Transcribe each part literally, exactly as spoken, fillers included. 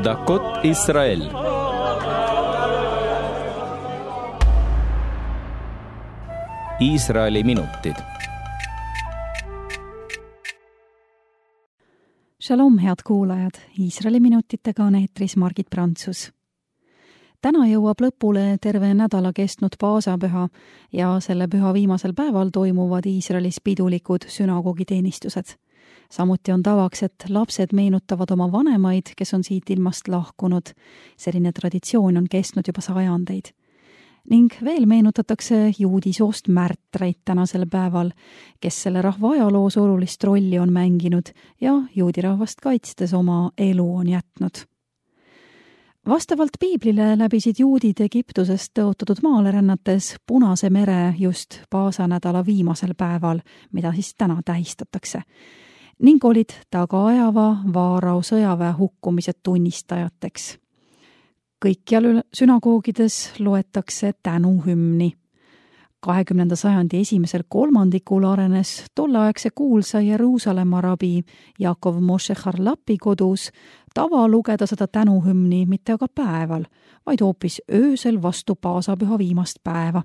דקות ישראל. Iisraeli minutid. Shalom, head kuulajad! Iisraeli minutitega on eetris Margit Prantsus. Täna jõuab lõpule terve nädala kestnud paasapüha ja selle püha viimasel päeval toimuvad Iisraelis pidulikud sünagoogiteenistused. Samuti on tavaks, et lapsed meenutavad oma vanemaid, kes on siit ilmast lahkunud. Selline traditsioon on kestnud juba sajandeid. Ning veel meenutatakse juudi soost märtreid tänasel päeval, kes selle rahva ajaloos olulist rolli on mänginud ja juudi rahvast kaitstes oma elu on jätnud. Vastavalt piiblile läbisid juudid Egiptusest tõotatud maale rännates Punase mere just paasanädala viimasel päeval, mida siis täna tähistatakse, ning olid tagaajava Vaarao sõjaväe hukkumise tunnistajateks. Kõikjal sünagoogides loetakse tänuhümni. kahekümnenda sajandi esimesel kolmandikul arenes tolleaegse kuulsa Jeruusalemma rabi Jaakov Moshe Harlapi kodus tava lugeda seda tänuhümni mitte aga päeval, vaid hoopis öösel vastu paasapüha viimast päeva.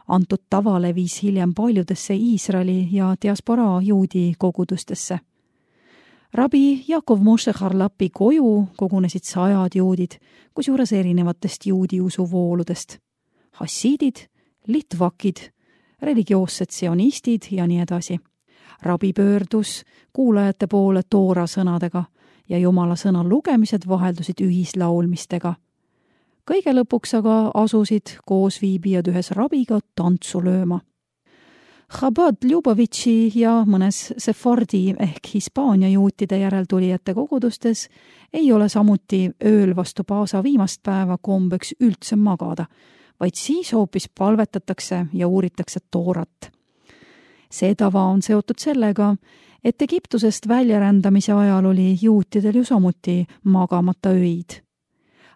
Antud tava levis hiljem paljudesse Iisraeli ja diasporaa juudi kogudustesse. Rabi Jaakov Moshe Harlapi koju kogunesid sajad juudid, kusjuures erinevatest juudi usuvooludest. Hassiidid, litvakid, religioossed sionistid ja nii edasi. Rabi pöördus kuulajate poole toora sõnadega ja Jumala sõna lugemised vaheldusid ühislaulmistega. Kõige lõpuks aga asusid koos viibijad ühes rabiga tantsu lööma. Chabad Ljubavitši ja mõnes Sefardi ehk Hispaania juutide järeltulijate kogudustes ei ole samuti ööl vastu paasa viimast päeva kombeks üldse magada, vaid siis hoopis palvetatakse ja uuritakse toorat. See tava on seotud sellega, et Egiptusest väljarändamise ajal oli juutidel ju samuti magamata öid.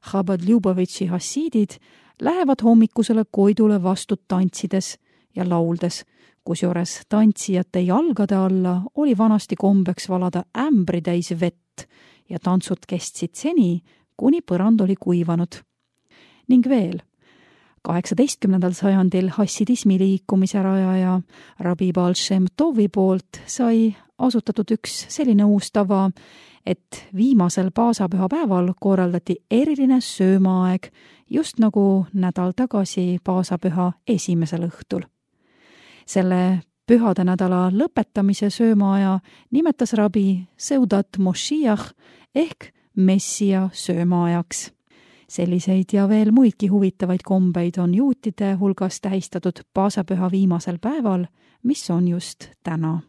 Chabad Ljubavitši hassiidid lähevad hommikusele koidule vastu tantsides ja lauldes, kusjuures tantsijate jalgade alla oli vanasti kombeks valada ämbri täis vett ja tantsud kestsid seni, kuni põrand oli kuivanud. Ning veel, kaheksateistkümnendal sajandil hassidismi liikumise rajaja Rabi Baal Shem Tovi poolt sai asutatud üks selline uus tava, et viimasel paasapüha päeval korraldati eriline söömaaeg, just nagu nädal tagasi paasapüha esimesel õhtul. Selle pühade nädala lõpetamise söömaaja nimetas rabi Seudat Moshiach ehk Messia söömaajaks. Selliseid ja veel muidki huvitavaid kombeid on juutide hulgas tähistatud paasapüha viimasel päeval, mis on just täna.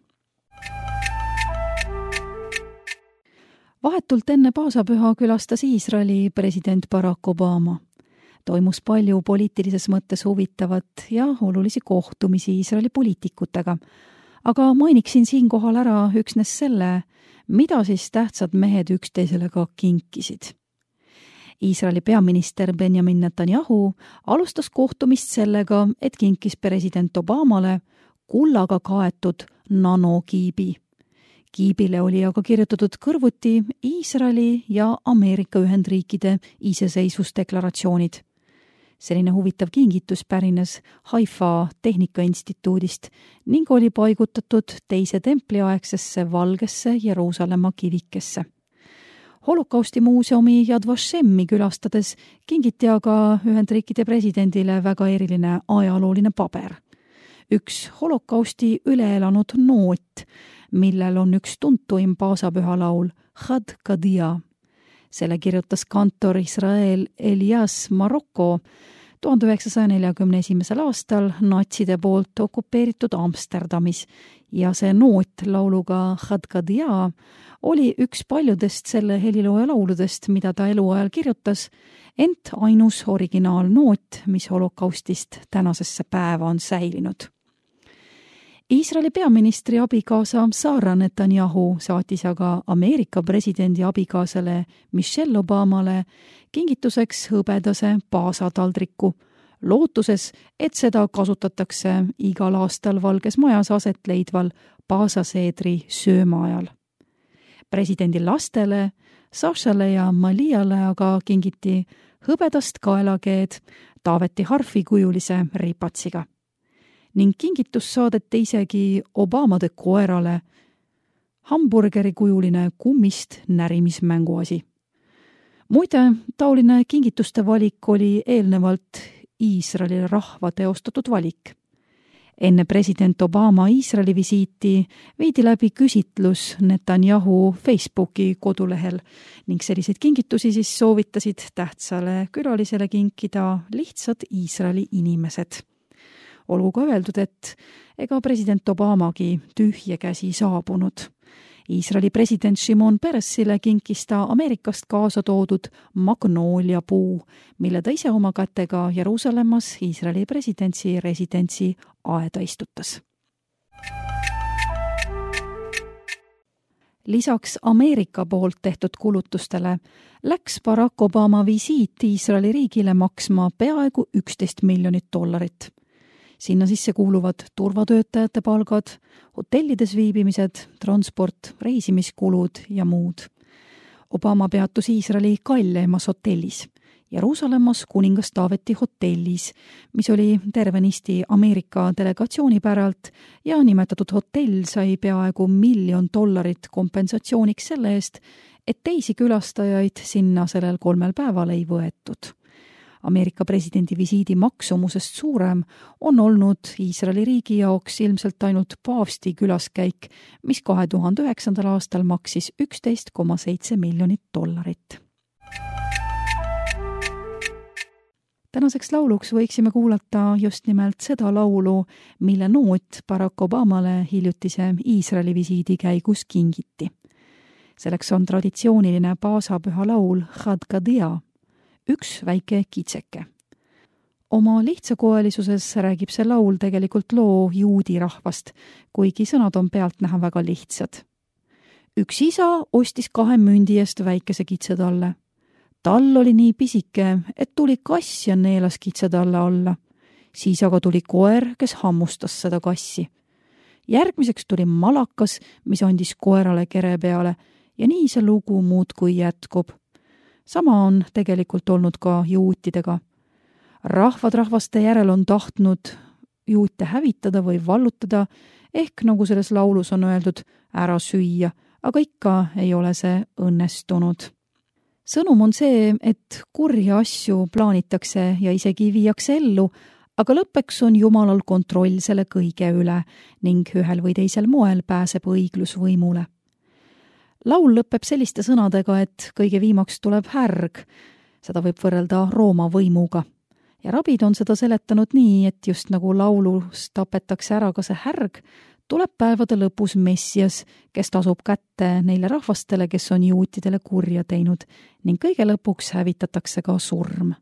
Vahetult enne paasapüha külastas Iisraeli president Barack Obama. Toimus palju poliitilises mõttes huvitavat ja olulisi kohtumisi Iisraeli poliitikutega, aga mainiksin siinkohal ära üksnes selle, mida siis tähtsad mehed üksteisele ka kinkisid. Iisraeli peaminister Benjamin Netanyahu alustas kohtumist sellega, et kinkis president Obamale kullaga kaetud nanokiibi. Kiibile oli aga kirjutatud kõrvuti Iisraeli ja Ameerika Ühendriikide iseseisvusdeklaratsioonid. Selline huvitav kingitus pärines Haifa Tehnikainstituudist ning oli paigutatud teise templiaegsesse valgesse Jeruusalemma kivikesse. Holokausti muuseumi Yad Vashemi külastades kingiti aga Ühendriikide presidendile väga eriline ajalooline paber. Üks holokausti üle elanud noot, millel on üks tuntuim paasapüha laul Chad Kadia. Selle kirjutas kantor Israel Elias Marokko tuhande üheksasaja neljakümne esimesel aastal natside poolt okupeeritud Amsterdamis ja see noot lauluga Chad Kadia oli üks paljudest selle helilooja lauludest, mida ta eluajal kirjutas, ent ainus originaalnoot, mis holokaustist tänasesse päeva on säilinud. Iisraeli peaministri abikaasa Sara Netanyahu saatis aga Ameerika presidendi abikaasale Michelle Obamale kingituseks hõbedase paasataldriku, lootuses, et seda kasutatakse igal aastal Valges Majas aset leidval paasaseedri sööma ajal. Presidendi lastele Sašale ja Maliale aga kingiti hõbedast kaelakeed Taaveti harfi kujulise ripatsiga. Ning kingitus saadeti isegi Obamade koerale hamburgeri kujuline kummist närimismänguasi. Muide, taoline kingituste valik oli eelnevalt Iisraeli rahva teostatud valik. Enne president Obama Iisraeli visiiti viidi läbi küsitlus Netanyahu Facebooki kodulehel ning selliseid kingitusi siis soovitasid tähtsale külalisele kinkida lihtsad Iisraeli inimesed. Olgu ka öeldud, et ega president Obamagi tühje käsi saabunud. Iisraeli president Shimon Peresile kinkis ta Ameerikast kaasa toodud magnoolia puu, mille ta ise oma kätega Jeruusalemmas Iisraeli presidentsi residentsi aeda istutas. Lisaks Ameerika poolt tehtud kulutustele läks Barack Obama visiit Iisraeli riigile maksma peaaegu üksteist miljonit dollarit. Sinna sisse kuuluvad turvatöötajate palgad, hotellides viibimised, transport, reisimiskulud ja muud. Obama peatus Iisraeli kalleimas hotellis, Jeruusalemmas kuningas Taaveti hotellis, mis oli tervenisti Ameerika delegatsiooni päralt ja nimetatud hotell sai peaaegu miljon dollarit kompensatsiooniks selle eest, et teisi külastajaid sinna sellel kolmel päeval ei võetud. Ameerika presidendi visiidi maksumusest suurem on olnud Iisraeli riigi jaoks ilmselt ainult paavsti külaskäik, mis kahe tuhande üheksandal aastal maksis üksteist koma seitse miljonit dollarit. Tänaseks lauluks võiksime kuulata just nimelt seda laulu, mille noot Barack Obamale hiljutise Iisraeli visiidi käigus kingiti. Selleks on traditsiooniline paasapüha laul Chad Gadia, üks väike kitseke. Oma lihtsakoelisuses räägib see laul tegelikult loo juudi rahvast, kuigi sõnad on pealtnäha väga lihtsad. Üks isa ostis kahe mündi eest väikese kitse talle. Tal oli nii pisike, et tuli kass ja neelas kitse talle alla. Siis aga tuli koer, kes hammustas seda kassi. Järgmiseks tuli malakas, mis andis koerale kere peale ja nii see lugu muudkui jätkub. Sama on tegelikult olnud ka juutidega. Rahvad rahvaste järel on tahtnud juute hävitada või vallutada, ehk nagu selles laulus on öeldud, ära süüa, aga ikka ei ole see õnnestunud. Sõnum on see, et kurja asju plaanitakse ja isegi viiakse ellu, aga lõppeks on Jumalal kontroll selle kõige üle ning ühel või teisel moel pääseb õiglus võimule. Laul lõpeb selliste sõnadega, et kõige viimaks tuleb härg. Seda võib võrrelda Rooma võimuga. Ja rabid on seda seletanud nii, et just nagu laulus tapetakse ära ka see härg, tuleb päevade lõpus Messias, kes tasub kätte neile rahvastele, kes on juutidele kurja teinud ning kõige lõpuks hävitatakse ka surm.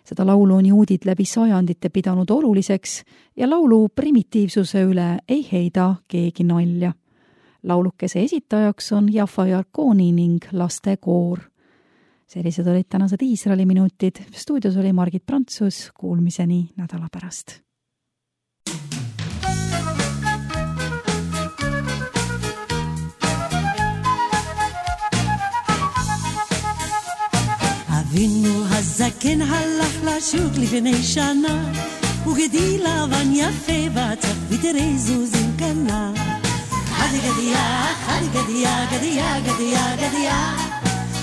Seda laulu on juudid läbi sajandite pidanud oluliseks ja laulu primitiivsuse üle ei heida keegi nalja. Laulukese esitajaks on Jaffa Jarkoni ning lastekoor. Sellised olid tänased Iisraeli minutid. Stuudios oli Margit Prantsus. Kuulmiseni nädala pärast. אבינו הזקן הלך לשוק לפני שנה, וגדי לבן יפה בצח ותראי זוזים קנה. חדי גדיה, חדי גדיה, גדיה, גדיה, גדיה.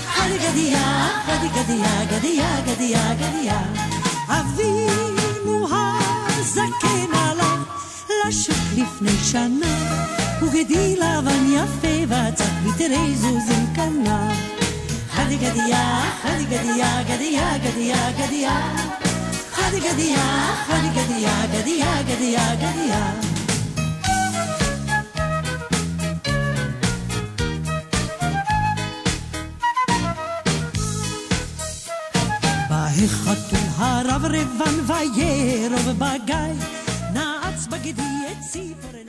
חדי גדיה, חדי גדיה, גדיה, גדיה, גדיה. אבינו הזקן הלך לשוק לפני שנה, וגדי לבן יפה בצח ותראי זוזים קנה. חדי גדיה, חדי גדיה, גדיה, גדיה, גדיה. חדי גדיה, חדי גדיה, גדיה, גדיה, גדיה. בהחתול הרב רבן וירוב בגיא, נעץ בגדי את ציפורן